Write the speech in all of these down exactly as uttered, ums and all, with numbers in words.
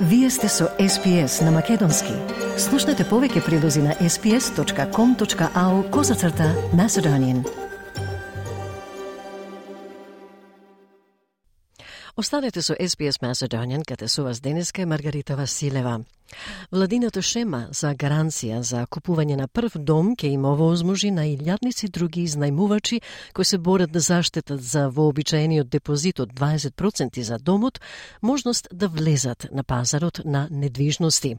Вие сте со Ес Би Ес на Македонски. Слушнете повеќе прилози на ес би ес точка ком точка ау козацрта Macedonian. Останете со Ес Би Ес Macedonian, каде со вас денеска е Маргарита Василева. Владината шема за гаранција за купување на прв дом ќе има овозможи на илјадници други изнајмувачи кои се борат да заштитат за вообичаениот депозит од дваесет проценти за домот, можност да влезат на пазарот на недвижности.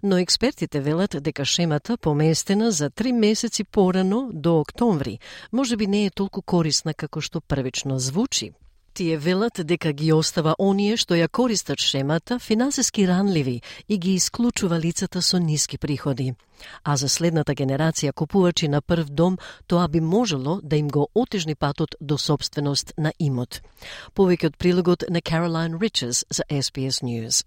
Но експертите велат дека шемата, поместена за три месеци порано до октомври, можеби не е толку корисна како што првично звучи. Тие велат дека ги остава оние што ја користат шемата финансиски ранливи и ги исклучува лицата со ниски приходи. А за следната генерација купувачи на прв дом, тоа би можело да им го отежни патот до собственост на имот. Повеќе од прилогот на Caroline Riches за Ес Би Ес News.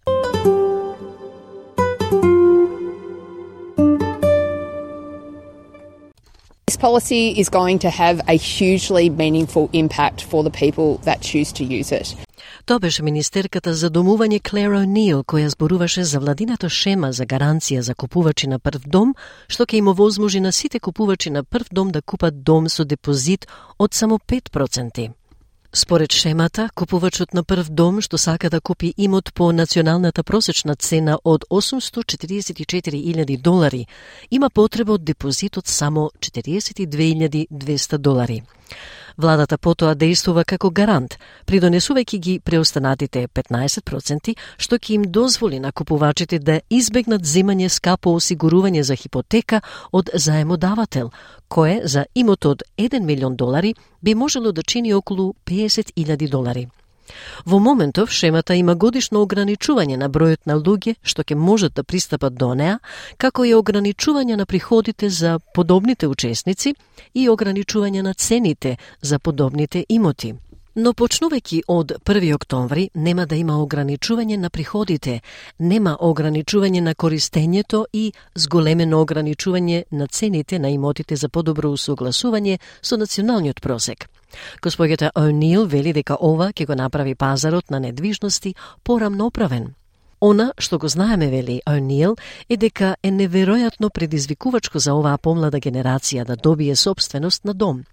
This policy is going to have a hugely meaningful impact for the people that choose to use it. Тоа беше министерката за домување Клер О'Нил, која зборуваше за владината шема за гаранција за купувачи на прв дом, што ќе им овозможи на сите купувачи на прв дом да купат дом со депозит од само пет проценти. Според шемата, купувачот на прв дом што сака да купи имот по националната просечна цена од осумстотини четиридесет и четири илјади долари, има потреба од депозит од само четиридесет и две илјади двеста долари. Владата потоа действува како гарант, придонесувајќи ги преостанатите петнаесет проценти, што ќе им дозволи на купувачите да избегнат земање скапо осигурување за хипотека од заемодавател, кое за имот од еден милион долари би можело да чини околу педесет илјади долари. Во моментов, шемата има годишно ограничување на бројот на луѓе што ќе можат да пристапат до неа, како и ограничување на приходите за подобните учесници и ограничување на цените за подобните имоти. Но почнувајќи од први октомври нема да има ограничување на приходите, нема ограничување на користењето и зголемено ограничување на цените на имотите за подобро усогласување со националниот просек. Господјата О'Нил вели дека ова ќе го направи пазарот на недвижности порамноправен. Она што го знаеме, вели О'Нил, е дека е неверојатно предизвикувачко за оваа помлада генерација да добие собственост на дом.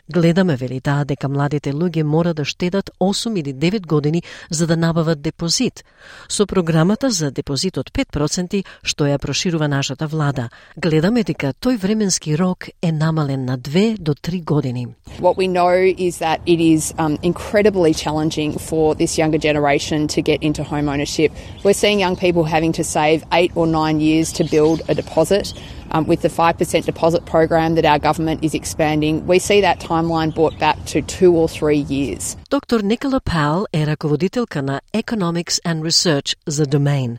Гледаме, вели таа, дека младите луѓе мора да штедат осум или девет години за да набават депозит. Со програмата за депозит од пет проценти што ја проширува нашата влада, гледаме дека тој временски рок е намален на две до три години. What we know is that it is um, incredibly challenging for this younger generation to get into home ownership. We're seeing young people having to save eight or nine years to build a deposit. Um, with the five percent deposit program that our government is expanding, we see that timeline brought back to two or three years. Доктор Никола Паул е раководителка на Economics and Research за Domain.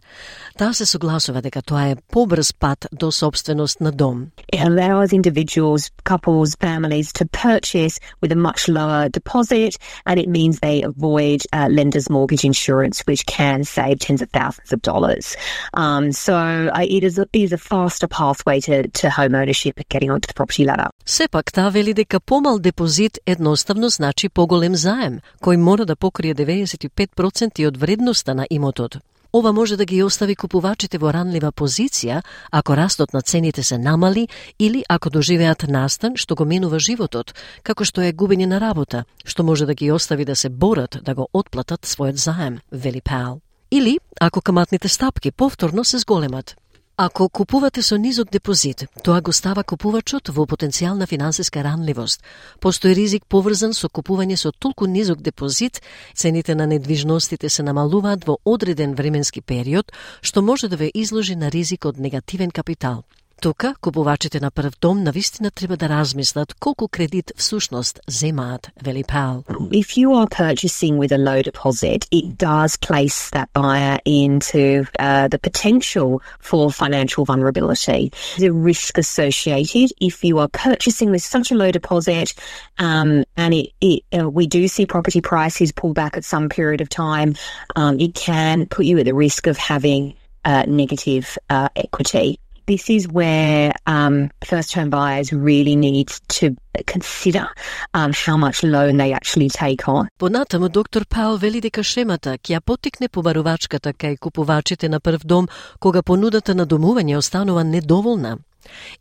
Таа се согласува дека тоа е побрз пат до собственост на дом. It allows individuals, couples, families to purchase with a much lower deposit, and it means they avoid uh, lender's mortgage insurance, which can save tens of thousands of dollars. Um, so uh, it is a, it is a faster pathway to, to home ownership and getting onto the property ladder. Сепак таа вели дека помал депозит едноставно значи поголем заем, кој мора да покрие деветдесет и пет проценти од вредноста на имотот. Ова може да ги остави купувачите во ранлива позиција ако растот на цените се намали или ако доживеат настан што го менува животот, како што е губење на работа, што може да ги остави да се борат да го отплатат својот заем, вели Паул. Или ако каматните стапки повторно се зголемат. Ако купувате со низок депозит, тоа го става купувачот во потенцијална финансиска ранливост. Постои ризик поврзан со купување со толку низок депозит, цените на недвижностите се намалуваат во одреден временски период, што може да ве изложи на ризик од негативен капитал. Тука, купувачите на прв дом навистина треба да размислат колку кредит всушност земаат, вели Паул. If you are purchasing with a low deposit, it does place that buyer into uh, the potential for financial vulnerability. The risk associated if you are purchasing with such a low deposit, um, and it, it uh, we do see property prices pull back at some period of time, um, it can put you at the risk of having uh, negative uh, equity. this is where um, first-home buyers really need to consider um, how much loan they actually take on. Понатаму доктор Паул вели дека шемата ќе ја поттикне побарувачката кај купувачите на прв дом кога понудата на домување останува недоволна.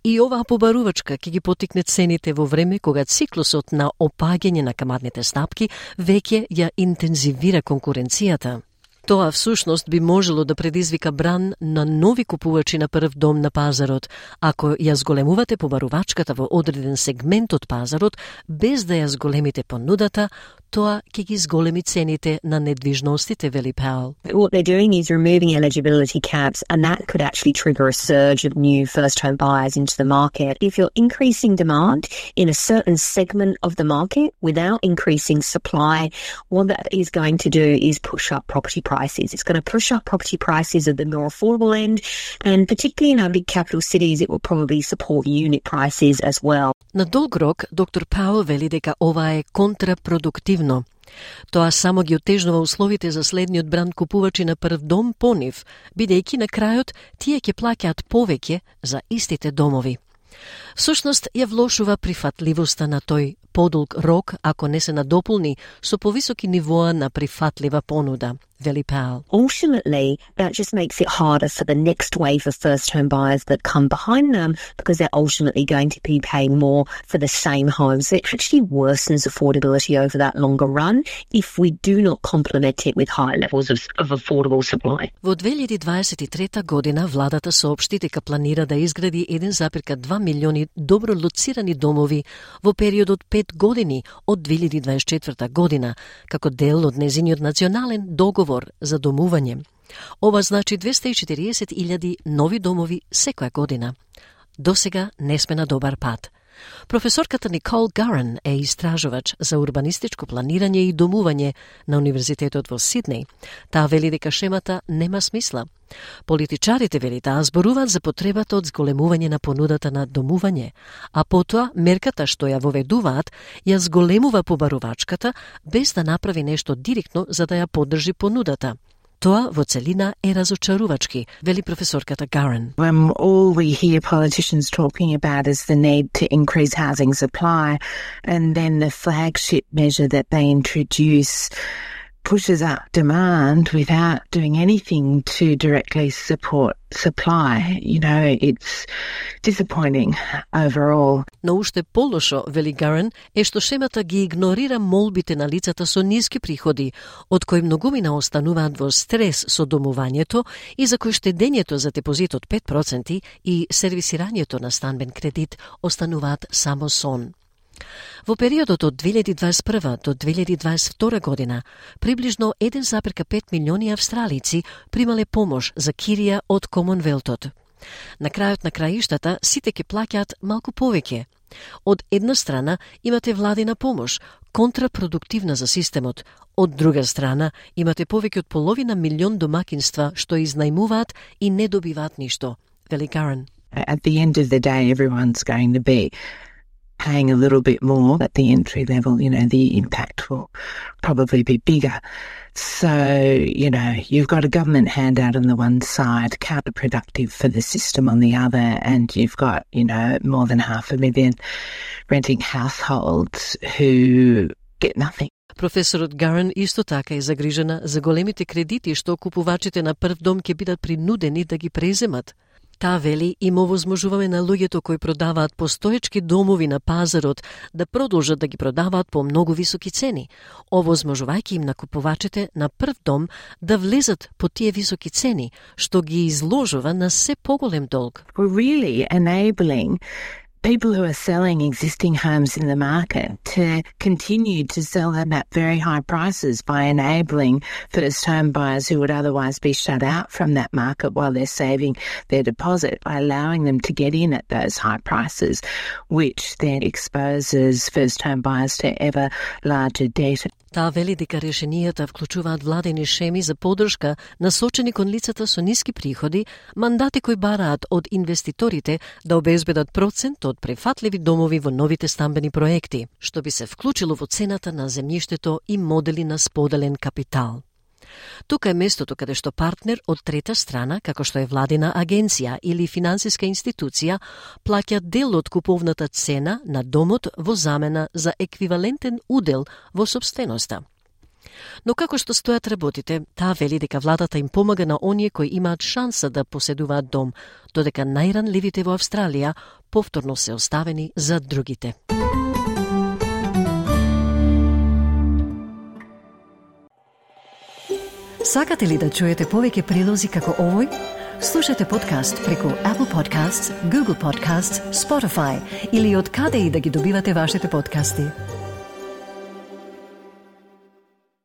И оваа побарувачка ќе ги поттикне цените во време кога циклусот на опаѓање на каматните стапки веќе ја интензивира конкуренцијата. Тоа всушност би можело да предизвика бран на нови купувачи на прв дом на пазарот, ако ја зголемувате побарувачката во одреден сегмент од пазарот, без да ја зголемите понудата, тоа ќе ги зголеми цените на недвижностите, вели Паул. What they're doing is removing eligibility caps, and that could actually trigger a surge of new first-home buyers into the market. If you're increasing demand in a certain segment of the market without increasing supply, what that is going to do is push up property prices. It's going to push up property prices at the more affordable end, and particularly in our big capital cities, it will probably support unit prices as well. На долг рок, доктор Паул вели дека ова е контрапродуктивно. Тоа само ги отежнува условите за следниот бранд купувачи на прв дом по нив, бидејќи на крајот тие ќе плаќаат повеќе за истите домови. Всушност ја влошува прифатливоста на тој подолг рок ако не се надополни со повисоки нивоа на прифатлива понуда, вели Паул. Ultimately, that just makes it harder for the next wave of first-home buyers that come behind them because they're ultimately going to be paying more for the same homes. It actually worsens affordability over that longer run if we do not complement it with high levels of, of affordable supply. Во две илјади дваесет и трета година владата соопшти дека планира да изгради еден запир два милиони добро лоцирани домови во периодот пет години од две илјади дваесет и четврта година, како дел од незиниот национален договор за домување. Ова значи двеста и четириесет илјади нови домови секоја година. Досега не сме на добар пат. Професорката Никол Гарен е истражувач за урбанистичко планирање и домување на Универзитетот во Сиднеј. Таа вели дека шемата нема смисла. Политичарите, вели таа, зборуваат за потребата од зголемување на понудата на домување, а потоа мерката што ја воведуваат ја зголемува побарувачката без да направи нешто директно за да ја поддржи понудата. Тоа во целина е разочарувачки, вели професорката Гарен. When all we hear politicians talking about is the need to increase housing supply, and then the flagship measure that they introduce pushes up demand without doing anything to directly support supply. You know, it's disappointing overall. Но уште полошо, вели Гарен, е што шемата ги игнорира молбите на лицата со ниски приходи, од кои многумина остануваат во стрес со домувањето и за кои штедењето за депозит од пет проценти и сервисирањето на станбен кредит остануваат само сон. Во периодот од две илјади дваесет и прва до две илјади дваесет и втора година, приближно еден зарез пет милиони австралици примале помош за кирија од Комонвелтот. На крајот на краиштата сите ќе плаќаат малку повеќе. Од една страна имате владина помош, контрапродуктивна за системот. Од друга страна имате повеќе од половина милион домакинства што изнајмуваат и не добиваат ништо, вели Гарен. At the end of the day, everyone's going to be paying a little bit more at the entry level. You know, the impact will probably be bigger. So, you know, you've got a government handout on the one side, counterproductive for the system on the other, and you've got, you know, more than half a million renting households who get nothing. Професорот Гарен исто така е загрижена за големите кредити што купувачите на прв дом ќе бидат принудени да ги преземат. Таа вели им овозможуваме на луѓето кои продаваат постоечки домови на пазарот да продолжат да ги продаваат по многу високи цени, овозможувајќи им на купувачите на прв дом да влезат по тие високи цени, што ги изложува на се поголем долг. We're really enabling people who are selling existing homes in the market to continue to sell them at very high prices by enabling first home buyers who would otherwise be shut out from that market while they're saving their deposit, by allowing them to get in at those high prices, which then exposes first home buyers to ever larger debt. Таа вели дека решенијата вклучуваат владени шеми за поддршка насочени кон лицата со ниски приходи, мандати кои бараат од инвеститорите да обезбедат процент од префатливи домови во новите стамбени проекти, што би се вклучило во цената на земјиштето и модели на споделен капитал. Тука е местото каде што партнер од трета страна, како што е владина агенција или финансиска институција, плаќа дел од куповната цена на домот во замена за еквивалентен удел во сопственоста. Но како што стојат работите, таа вели дека владата им помага на оние кои имаат шанса да поседуваат дом, додека најранливите во Австралија повторно се оставени за другите. Сакате ли да чуете повеќе прилози како овој? Слушате подкаст преку Apple Podcasts, Google Podcasts, Spotify или од каде и да ги добивате вашите подкасти.